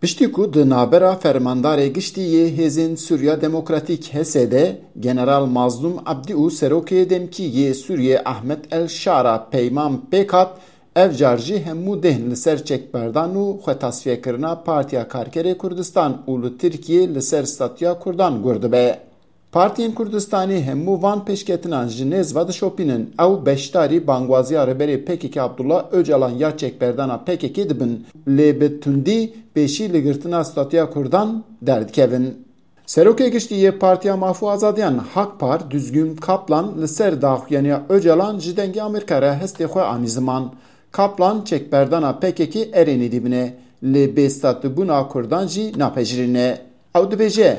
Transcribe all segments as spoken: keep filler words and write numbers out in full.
Piştî ku di navbera fermandarê giştî yê Hêzên Sûriya Demokratîk, H S D, General Mazlûm Ebdî û Serokê demkî yê Sûriyê Ehmed El Şara peyman pêk hat, ev car jî hemû dêhn li ser çekberdan û xwetasfiyekirina Partiya Karkerê Kurdistan û li Tirkiyê li ser statuya Kurdan gur dibe. Partiyên Kurdistanê hemû van pêşketinan ji nêz ve dişopînin. Ew beşdarî bangwaziya Rêberê P K K Abdullah Ocalan ya çekberdana P K K dibin, lê bi tundî pêşî li girtina statuya Kurdan derdikevin. Serokê Giştî yê Partiya Maf û Azadiyan, Hakpar, Düzgün Kaplan, li ser daxuyaniya Ocalan ji Dengê Amerîka re hestê xwe anî ziman. Kaplan çekberdana P K K erê nêdîbine, lê bêstatîbûna Kurdan jî napejirîne. Ew dibêje,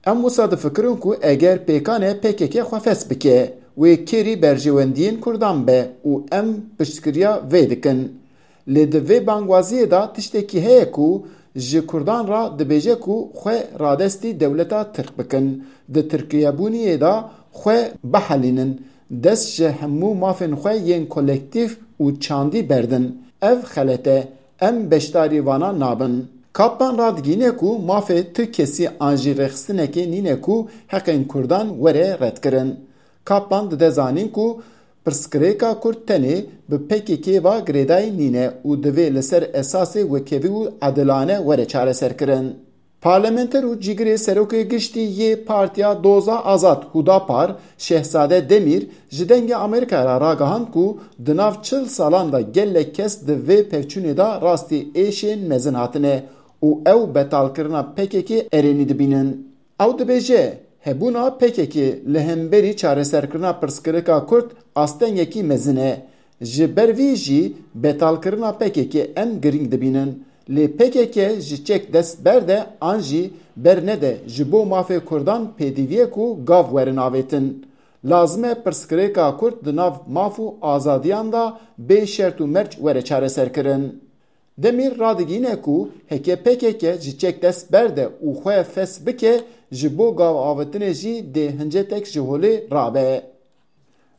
Em wisa difikirin ku eger pêkan e P K K xwe fes bike, wê kêrî berjewendiyên Kurdan be û em piştgiriya vê dikin. Lê di vê bangwaziyê de tiştekî heye ku ji Kurdan re dibêje ku xwe radestî dewleta Tirk bikin, di Tirkiyebûniyê de xwe bihelînin, dest ji hemû mafên xwe yên kolektîf û çandî berdin. Ev xelet e. Em beşdarî vana nabin. Kaplan radigihîne ku mafê tu kesî an jî rêxistinekê nîne ku heqên Kurdan were redkirin. Kaplan dide zanîn ku pirsgirêka Kurd tenê bi P K K ve girêdayî nîne û divê li ser esasê wekhevî û edilane were çareserkirin. Parlamenter û cîgirê serokê giştî yê Partiya Doza Azad, Hudapar, Şehzade Demîr, ji Dengê Amerîkayê re ragihand ku di nav çil salan de gelek kes di vê pevçûnê de rastî êşên mezin hatine û ew betalkirina P K K erênî dibînin. Ew dibêje, hebûna P K K li hemberî çareserkirina pirsgirêka Kurd astengekî mezin e. Ji ber vî jî betalkirina P K K em girîng dibînin. Lê P K K ji çek dest berde an jî bernede ji bo mafê Kurdan pêdiviyek û gav werin avêtin. Lazim e pirsgirêka Kurd di nav maf û azadiyan de bê şert û merc were çareserkirin. Demîr radigihîne ku heke P K K ji çek dest berde û xwe fes bike, ji bo gav avêtinê jî dê hincetek ji holê rabe.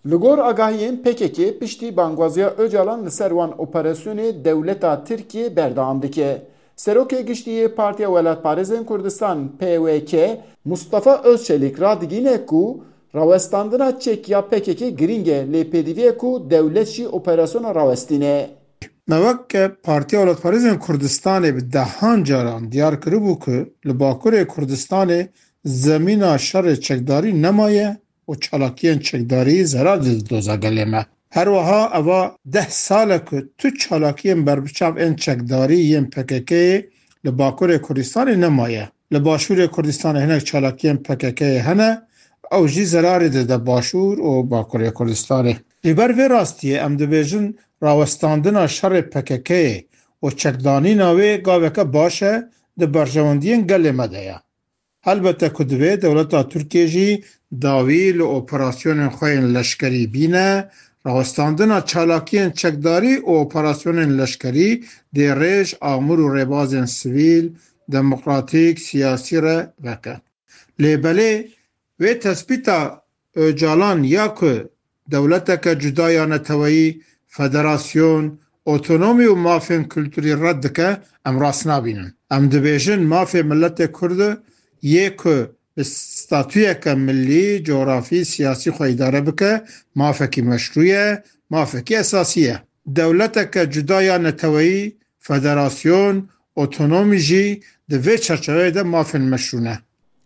Li gor agahiyên P K K piştî bangwaziya Ocalan li ser wan operasyonê dewleta Tirkiyê berdewam dike. Serokê Giştî yê Partiya Welatparêzên Kurdistan, P W K, Mustafa Özçelik radigihîne ku rawestandina çek ya P K K girîng e, lê pêdivî ye ku dewlet jî operasyona rawestîne. Me wek Partiya Welatparêzên Kurdistanê bi dehan caran diyar kiribû ku li Bakurê Kurdistanê zemîna şerê çekdarî nemaye û çalakiyên çekdarî zerar dide doza gelê me. Her wiha eva deh sal e ku tu çalakiyên berbiçav ên çekdarî yên P K K'ê li Bakurê Kurdistanê nemaye. Li Başûrê Kurdistanê hinek çalakiyên P K K'ê hene, ew jî zerarê dide Başûr û Bakurê Kurdistanê. Ji ber vê rastiyê em dibêjin rawestandina şerê P K K'ê û çekdanîna wê gaveke baş e, di berjewendiyên gelê me de ye. Helbete ku divê dewleta Tirkiyê jî dawî li operasyonên xwe yên leşkerî bîne, rawestandina çalakiyên çekdarî û operasyonên leşkerî dê rêj, amûr û rêbazên sivîl, demokratîk, siyasî re veke. Lê belê wê tespîta Ocalan ya ku dewleteke cuda ya neteweyî, federasyon, otonomî û mafên kulturî red dike, em rast nabînin. Em dibêjin mafê miletê Kurd yê ku bi statuyeke milî, cografî, siyasî xwe îdare bike, mafekî meşrû ye, mafekî esasî ye. Dewleteke cuda ya neteweyî, federasyon, otonomî jî di vê çerçeveyê de mafên meşrû ne.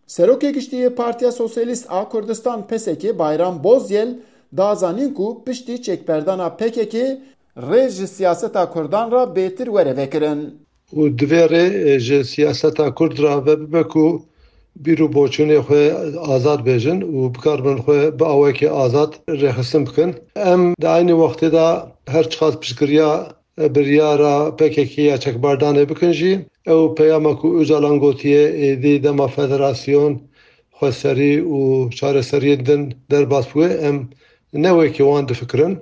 Serokê Giştî yê Partiya Sosyalîst a Kurdistan, P S K, Bayram Bozyel, da zanîn ku piştî çekberdana P K K rê ji siyaseta Kurdan re bêtir were vekirin. Û divê rê, e, ji siyaseta Kurd re vebibe ku bîr û boçûnê xwe azad bêjin û bikaribin xwe bi awekê azad rêxistin bikin. Em di eynî wextê de her çiqas piştgiriya biryara P K K ya çekbardanê bikin jî, ew peyama ku Ocalan gotiye, êdî dema federasyon, xweserî û çareseriyên din derbas bûye, em ne wekî wan difikirin.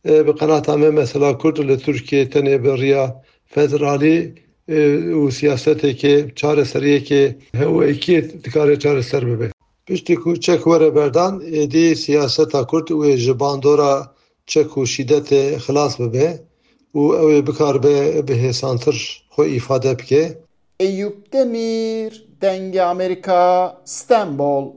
E, bi qenata me mesela Kurd li Tirkiyê tenê bi riya federalî, e, û siyaseteke, çareseriyeke hewekî dikare çareser bibe. Piştî ku çek were berdan, êdî siyaseta Kurd wê ji bandora çek û şîdetê xilas bibe û ew ê bikaribe bi hêsantir xwe îfade bike. Eyüp Demir, Dengê Amerîka, Stenbol.